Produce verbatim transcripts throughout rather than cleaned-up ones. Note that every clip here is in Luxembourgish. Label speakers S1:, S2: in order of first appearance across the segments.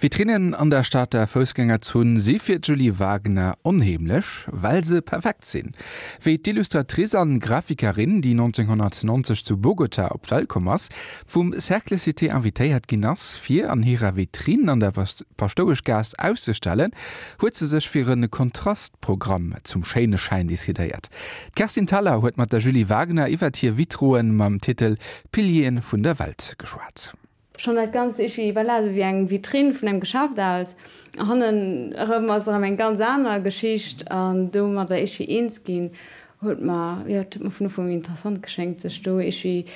S1: Vitrinnen an der Stater Foussgängerzon si fir d'Julie Wagener onheemlech, well se perfekt sinn. Wéi d'Illustratrice an Grafikerin, déi nonzénghonnertnonzeg zu Bogota op d'Welt komm ass, vum Cercle Cité invitéiert ginn ass, fir an hirer Vitrinn an der Paschtoueschgaass auszestellen, huet se sech fir e Kontrastprogramm zum schéine Schäin decidéiert. D'Kerstin Thalau huet mat der Julie Wagener iwwert hir Vitroen mam Titel Pilieren vun der Welt geschwat.
S2: Schonn dat Ganzt iergendwéi, voilà, esou wéi eng Vitrinn vun engem Geschäft aus. Hannen erëm ass erëm eng ganz aner Geschicht an domadder iergendwéi eens ginn, huet mer, jo, et huet mer vun Ufank un interessant geschéngt, sech do iergendwéi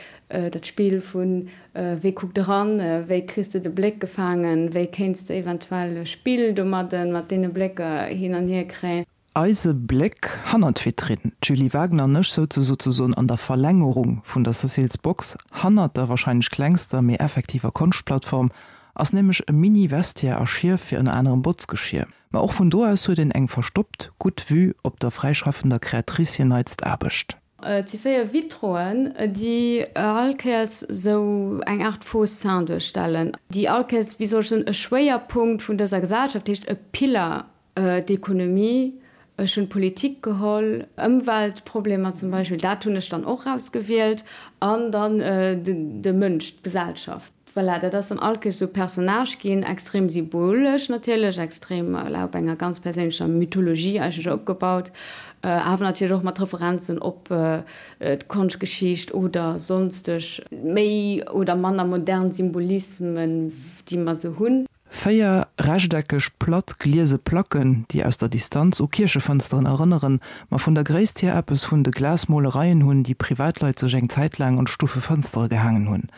S2: dat Spill vun wéi kuckt eran, wéi kriss de de Bléck gefaangen, wéi kéints de eventuell e Spill domadden, mat deene Blécker hin an hier kréien.
S3: Eise Bléck hannert d'Vitrinn. D'Julie Wagner an ech souze souzesoen an der Verlängerung vun der Cecil's Box. Hannert der warscheinlech klengster, mee effektiver Konschtplattform ass nämlech e Mini-Vestiaire a Schief fir ënner anerem Botzgeschier. Ma och vun do aus huet een eng verstoppt gutt Vue op der fräischaffender Creatrice hir neitst Aarbecht.
S2: Et si véier Vitroen, déi all Kéiers esou eng Aart faux saint duerstellen, déi all Kéiers, wéi soll ech soen, e Schwéierpunkt vun dëser Gesellschaft, dat heescht e Piller, d'Ekonomie, ech hunn d'Politik geholl, Ëmweltproblemer zum Beispill, dat hunn ech dann och ausgewielt, an dann de Mënsch, d'Gesellschaft. Voilà, dat ass dann all Kéiers esou e Personnage ginn, extrem symbolesch natierlech, extrem, voilà, op enger ganz perséinlecher Mythologie eigentlech opgebaut, awer natierlech och mat Referenzen op d'Konschtgeschicht oder sonsteg méi oder manner modern Symbolismen, déi mer esou hunn.
S3: Véier rechteckeg, platt gliese Placken, déi aus der Distanz u Kierchefënsteren erënneren, ma vun der Gréisst hier eppes vun de Glasmolereien hunn, déi Privatleit sech eng Zäit laang an d'Stuffefënstere gehaangen hunn.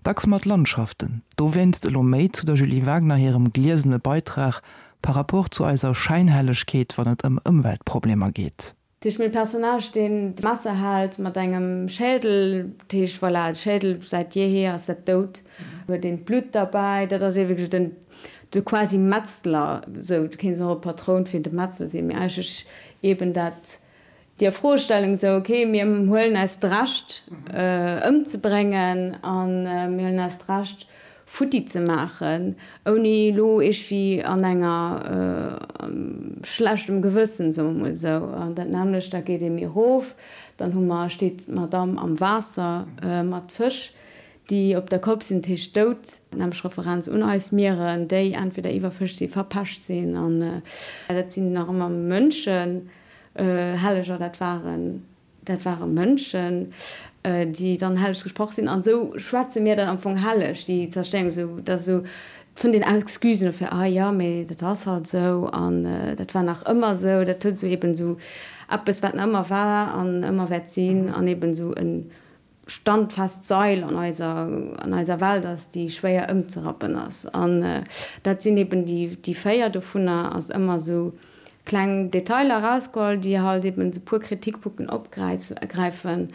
S3: Dacks mat Landschaften. Dowéinst elo méi zu der Julie Wagner hirem gliesene Beitrag par rapport zu eiser Schäinhellegkeet, wann et ëm Ëmweltproblemer geet.
S2: Dat heescht, mir hunn e Personnage, deen d'Messer hält mat engem Schädel. Dat heescht, voilà, de Schädel, säit jeehier ass dat dout, huet een d'Blutt derbäi. Dat ass ee wierklech den, de quasi Metzler, esou, du kéints och e Patroun fir de Metzler sinn, mee eigentlech eben dat, déi Froestellung esou, okay, mir huelen eis d'Recht ëmzebréngen a mir huelen eis d'Recht, futti ze maachen, ouni elo iergwéi an enger schlechtem Gewëssen, soe mer mol esou. An dat nämmlecht, da geet ee méi erof, dann hu mer, steet d'Madame am Waasser mat Fësch, déi op der Kopp sinn, dat heescht dout, nämmlech Referenz un eis Mieren, déi entweder iwwerfëscht sinn, verpescht sinn. An dat sinn nach ëmmer Mënschen, Helleger, dat waren. Dat ware Mënschen, déi dann helleg gesprach sinn. An esou schwätze mir dann am Fong helleg, déi Zerstéierung. Esou, dat ass esou, et fënnt een Excusen dofir, ah jo, mee dat ass halt esou an dat war nach ëmmer esou. Dat huet esou eben esou eppes, wat nach ëmmer war an ëmmer wäert sinn an eben esou e standfest Sail an eiser, an eiser Welt ass, déi schwéier ëmzerappen ass. An dat sinn eben déi, déi véier dovunner ass ëmmer esou kleng Detailer erausgeholl, déi halt eben esou puer Kritikpunkten opgräifen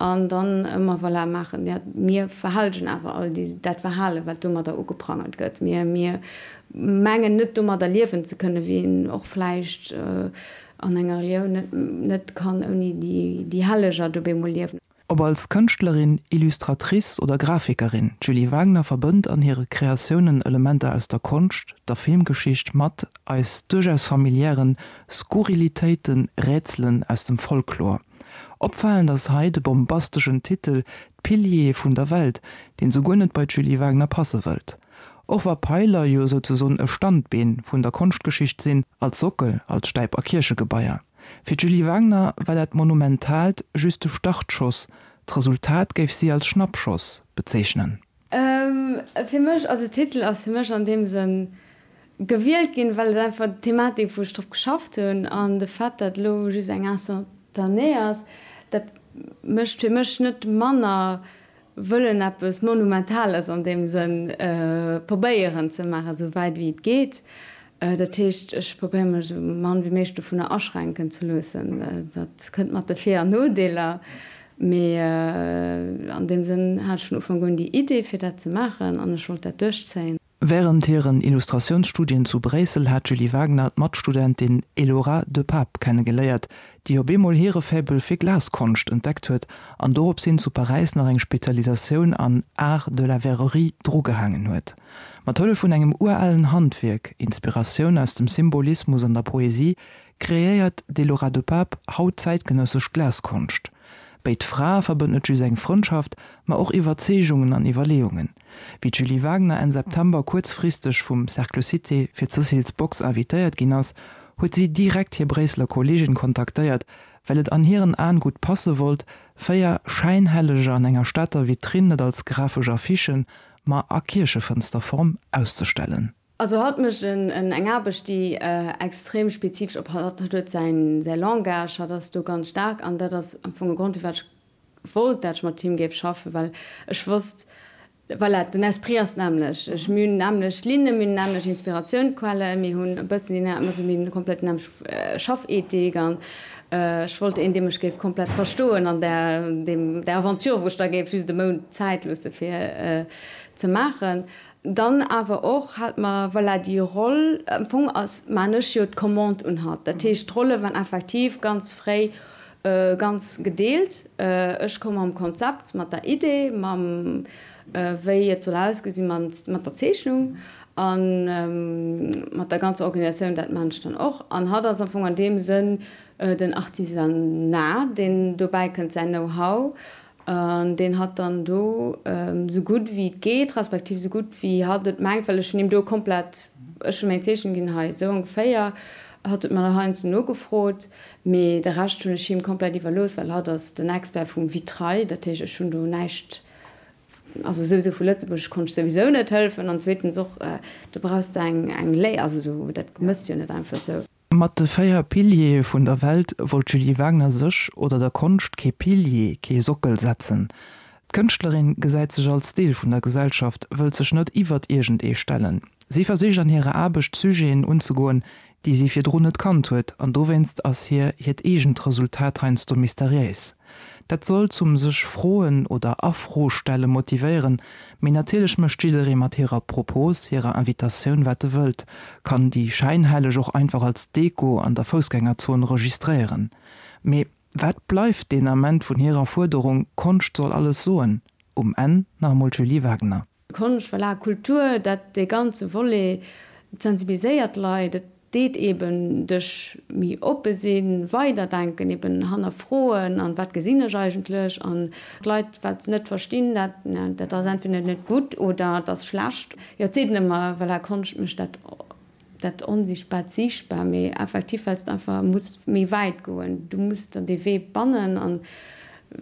S2: an dann ëmmer voilà maachen, jo, mir verhellegen awer all déi, dat Verhalen, wat domadder ugeprangert gëtt. Mir, mir mengen net domadder liewen ze kënnen, wéi een och vläicht an enger Relioun net, net kann ouni déi, déi Helleger do bemol liewen.
S3: Ob als Kënschtlerin, Illustratrice oder Grafikerin, d'Julie Wagner verbënnt an hire Kreatiounen Elementer aus der Konscht, der Filmgeschicht mat eis duerchaus familiären Skurrilitéiten, Rätselen aus dem Folklor. Opfalend ass hei de bombasteschen Titel D'Piliere vun der Welt, deen esou guer net bei d'Julie Wagner passe wëllt. Och wa Peiler jo souzesoen e Standbeen vun der Konschtgeschicht sinn, als Sockel, als Stäip a Kierchegebaier. Fir d'Julie Wagner war dat Monumentaalt just de Startschoss, d'Resultat géif si als Schnappschoss bezeechnen.
S2: Fir mech, also de Titel ass fir mech an deem Sënn gewielt ginn, well et einfach d'Thematik, wou ech drop geschafft hunn, an de Fait, datt elo just eng Instantanée ass, dat mécht fir mech net manner wëllen eppes Monumentales an deem Sënn probéieren ze maachen, esou wäit wéi et geet. Dat heescht, ech probéiere mech esou mann wéi méiglech dovunner aschränken ze loossen. Dat kënnt mat de Vir an Nodeeler, mee an deem Sënn hat ech vun Ufank un déi Idee fir dat ze maachen an ech wollt dat duerchzéien.
S3: Wärend hiren Illustratiounsstudien zu Bréissel hat d'Julie Wagner d'Matstudentin Elora De Pape kennegeléiert, déi op eemol hire Faible fir Glaskonscht entdeckt huet an dorops hin zu Paräis nach eng Spezialisatioun an Art de la verrerie drugehaangen huet. Mat Hëllef vun engem uralen Handwierk, Inspiratioun aus dem Symbolismus an der Poesie, kreéiert d'Elora de Pape haut zäitgenëssesch Glaskonscht. Béid Frae verbënnt net just eng Frëndschaft, ma och Iwwerzeegungen an Iwwerleeungen. Wéi d'Julie Wagner Enn September kuerzfristeg vum Cercle Cité fir d'Cecil's Box invitéiert ginn ass, huet si direkt hir Bréisseler Kolleegin kontaktéiert, well et an hiren Aen gutt passe wollt, véier Schäinhelleger an enger Stater Vitrinn net als grafesch Affichen, ma a Kierchefënsterform auszestellen.
S2: Also hatt mécht en eng Aarbecht, déi extrem spezifesch op hatt huet säin säi Langage, hatt ass do ganz staark an dat ass am Fong e Grond, firwat ech wollt, dat ech mat him géif schaffen, well ech wosst, voilà, den Esprit ass d'nämmlech. Ech mir hunn nämmlech Linne, mir hunn nämmlech Inspiratiounquellen, mir hunn e bëssen déi also mir hunn komplett déi nämmlech Schaffethik an ech wollt een, dee mech géif komplett verstoen an där deem där Aventure, wou ech da géif just e Mount Zäit loosse fir ze maachen. Dann awer och hat mer, voilà, déi Roll, am Fong ass, maan ech jo d'Commande un hatt. Dat heescht, d'Rolle waren effektiv ganz fréi ganz gedeelt. Ech komm mam Konzept, mat der Idee, mam wéi et soll ausgesinn, mat der Zeechnung a mat der ganzer Organisatioun, dat maan ech dann och. An hatt ass am Fong an deem Sënn den Artisanat, deen dobäi kënnt, säin Know-how. An deen hatt dann do esou gutt wéi et geet, respektiv esou gutt wéi hatt et mengt, well ech hunn him do komplett, ech hunn meng Zeechnung ginn, hei esou ongeféier, hatt huet mer heiansdo nogefrot, mee de Rescht hunn ech him komplett iwwerlooss, well hatt ass den Expert vum Vitrail, dat heescht ech hunn do näischt, also souwisou vu Lëtzebuerg konnt ech souwisou net hëllefen an zweetens och, do brauchs de eng eng Léi, also do, dat mëss jo net einfach esou.
S3: Mat de véier Piliere vun der Welt wollt d'Julie Wagner sech oder der Konscht kee Pilier, kee Sockel setzen. D'Kënschtlerin gesäit sech als Deel vun der Gesellschaft, wëllt sech net iwwert iergend ee stellen. Si versicht an hirer Aarbecht Sujeten unzegoen, déi si virdrun net kannt huet, an dowéinst ass hir hiert eegent Resultat heiansdo mysteriéis. Dat soll zum sech Froen oder A-Fro-stelle motivéieren, mee natierlech mécht jidderee mat hirer Propos, hirer Invitatioun wat e wëllt, kann déi Schäinhelleg och einfach als Deko an der Foussgängerzon registréieren. Mee wat bleift deen Ament vun hirer Fuerderung Konscht soll alles soen? Um Enn nach emol d'Julie Wagner.
S2: Konscht, voilà, Kultur, dat dee ganze Volet, et sensibiliséiert d'Leit, et deet eben dech méi oppe sinn, weiderdenken, eben hannerfroen an wat gesinn ech eigentlech an d'Leit wat se net verstinn, dat, dat ass entweder net gutt oder et ass schlecht. Jo, et seet een ëmmer, voilà, Konscht mécht dat, dat Onsichtbaart siichtbar, mee effektiv well s de einfach muss méi wäit goen, du muss der dee Wee bannen an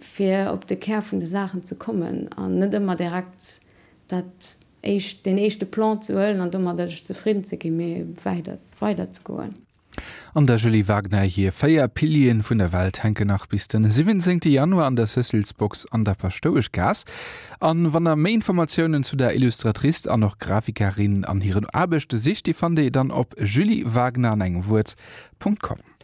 S2: fir op de Kär vun de Saachen ze kommen an net ëmmer direkt dat éischt, deen éischte Plan ze huelen an domadder dech zefridden ze ginn, mee weider, weider ze goen.
S1: An der Julie Wagner hir véier Pilieren vun der Welt hänken nach bis den siwwenzéngte Januar an der Cecil's Box an der Paschtoueschgaass. An wann der méi Informatiounen zu der Illustratrice an och Grafikerin an hiren Aarbechte sicht, déi fannt dir dann op juliewagner an engem Wuert Punkt com.